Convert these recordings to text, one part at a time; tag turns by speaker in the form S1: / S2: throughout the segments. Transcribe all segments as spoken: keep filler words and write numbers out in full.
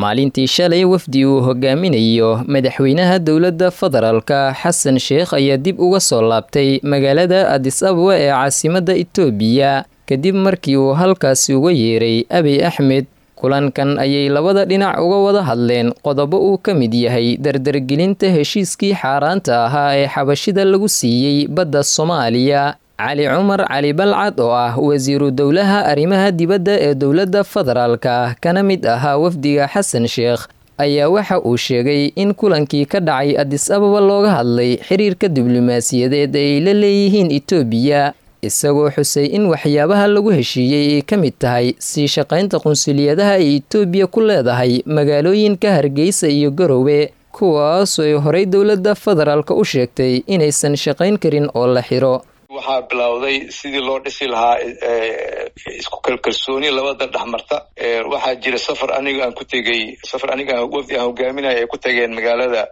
S1: Maalintii shalay, wafdi uu hogaaminayo madaxweynaha dowladda federaalka Xasan Sheekh ayaa dib uga soo laabtay magaalada Adis Ababa ee caasimadda Itoobiya, kadib markii uu halkaasi uga yeeray Abiy Axmed. Kulankan ayay labada dhinac uga wada hadleen qodobo uu ka mid yahay dardargelinta heshiiskii xaaraanta ahaa ee xabashida lagu siiyey badda Soomaaliya. Cali Cumar Cali Balcad oo ah wasiiru dowlaha arrimaha dibadda ee dowladda federaalka, kana mid ahaa wafdiga Xasan Sheekh, ayaa waxa uu sheegay in kulankii ka dhacay Adis Ababa looga hadlay xiriirka diblomaasiyadeed ay la leeyihiin Itoobiya, isagoo xusay in waxyaabaha lagu heshiiyey ay ka mid tahay sii shaqaynta qunsuliyadaha ay Itoobiya ku leedahay magaalooyinka Hargeysa iyo Garowe, kuwaasoo ay horey dowladda federaalka u sheegtay inaysan shaqayn karin oo la xiro.
S2: Waxaa bilowday sidii loo dhisi lahaa isku kalkalsooni labada dhexmarta. Waxaa jira safar aniga aan ku tegey, safar aniga wafdi aan hogaaminaya ay ku tageen magaalada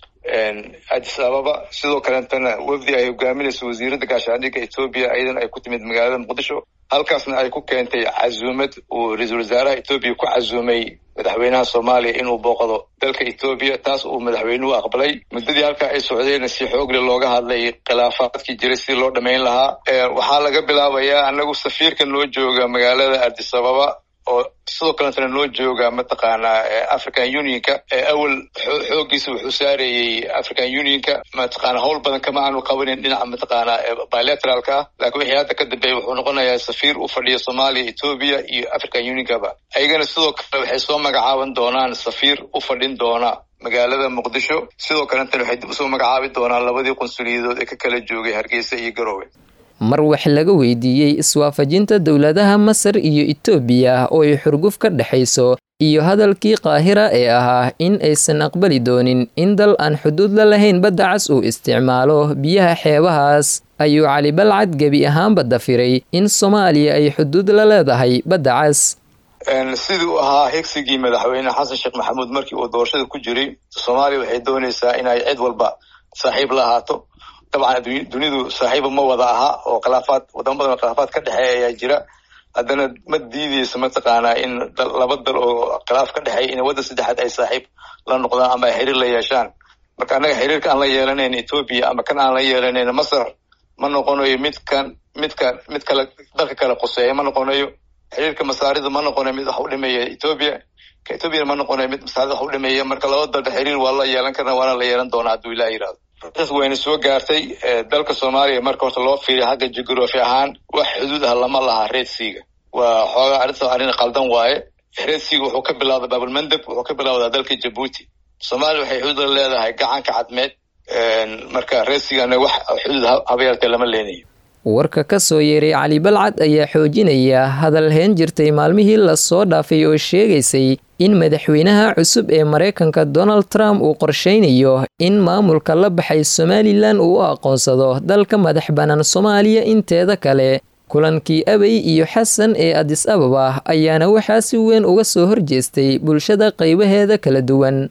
S2: Addis Ababa. Sidoo kaleetana wafdi ay hogaaminayso wasiiradda gaashaandhigga Etoobiya ayadana ay ku timid magaalada Muqdisho, halkaasna ay ku keentay casuumad uu ra-iisul wasaaraha Etoobiya ku casuumay madaxweynaha Soomaaliya inuu booqdo dalka Etoobiya, taas uu madaxweynuhu aqbalay. Muddadii halkaa ay socdeenna si xoogle looga hadlay khilaafaadkii jiray sidii loo dhammayn lahaa. Waxaa laga bilaabayaa anagu safiirka noo jooga magaalada Addis Ababa oo sidoo kaletana noo jooga mataqaanaa African Unionka. Awal xooggiisa wuxuu saarayey African Unionka, mataqaana howl badan kama aanu qabanin dhinaca mataqaanaa bilateralka ah, laakiin wixii hadda ka dambeeyay wuxuu noqonayaa safiir u fadhiya Soomaaliya, Etoobiya iyo African Unionkaba. Ayagana sidoo kale waxay soo magacaaban doonaan safiir u fadhin doona magaalada Muqdisho. Sidoo kaletana waxay dib usoo magacaabi doonaan labadii qunsuliyadood ee ka kala joogay Hargeysa iyo Garowe.
S1: Mar wax laga weydiiyey iswaafajinta dowladaha Masar iyo Itoobiya oo ay xurguf ka dhexayso iyo hadalkii Qaahira ee ahaa in aysan aqbali doonin in dal aan xuduud la lahayn badda cas uu isticmaalo biyaha xeebahaas, ayuu Cali Balcad gebi ahaanba dafiray in Soomaaliya ay xuduud la leedahay badda cas.
S2: Sidii uu ahaa higsigii madaxweyne Xasan Sheekh Maxamuud markii uu doorashada ku jiray, Soomaaliya waxay doonaysaa inay cid walba saaxiib la ahaato. Dabcan dunidu saaxiiba ma wada aha oo khilaafaad, wadamo badan oo khilaafaad ka dhexeeya ayaa jira. Haddana ma diideyso mataqaanaa in laba dal oo khilaaf ka dhexeeya in waddan saddexaad ay saaxiib la noqdaan ama ay xiriir la yeeshaan. Marka annaga xiriirka aan la yeelanayn Etoobiya ama kan aan la yeelanayn Masar ma noqonayo midkan midka mid kale dalka kale quseeya ma noqonayo. Xiriirka masaarida ma noqonayo mid wax u dhimeeya Etoobiya, ka Etoobiyana ma noqonayo mid masaarida wax u dhimeeya. Marka laba dalba xiriir waa la yeelan karna, waana la yeelan doonaa hadduu Ilaah yidhahdo. Taas wayna soo gaartay dalka Soomaaliya. Marka horta loo fiiriyo xagga jugraafi ahaan, wax xuduud ah lama laha Red Sea-ga. Waa xoogaa arrinta arrin qaldan waaye. Red Sea-ga wuxuu ka bilowday Baabulmandab, wuxuu ka bilowdaa dalka Jabuuti. Soomaaliya waxay xuduud la leedahay gacanka Cadmeed. Marka Red Sea-gana wax xuduud haba yartee lama leenayo.
S1: Warka ka soo yeeray Cali Balcad ayaa xoojinaya hadal heen jirtay maalmihii lasoo dhaafay oo sheegaysay in madaxweynaha cusub ee Maraykanka Donald Trump uu qorsheynayo in maamulka la baxay Somalilan uu u aqoonsado dalka madax bannaan Soomaaliya inteeda kale. Kulankii Abey iyo Xasan ee Adis Ababa ayaana waxaa si weyn uga soo horjeestay bulshada qaybaheeda kala duwan.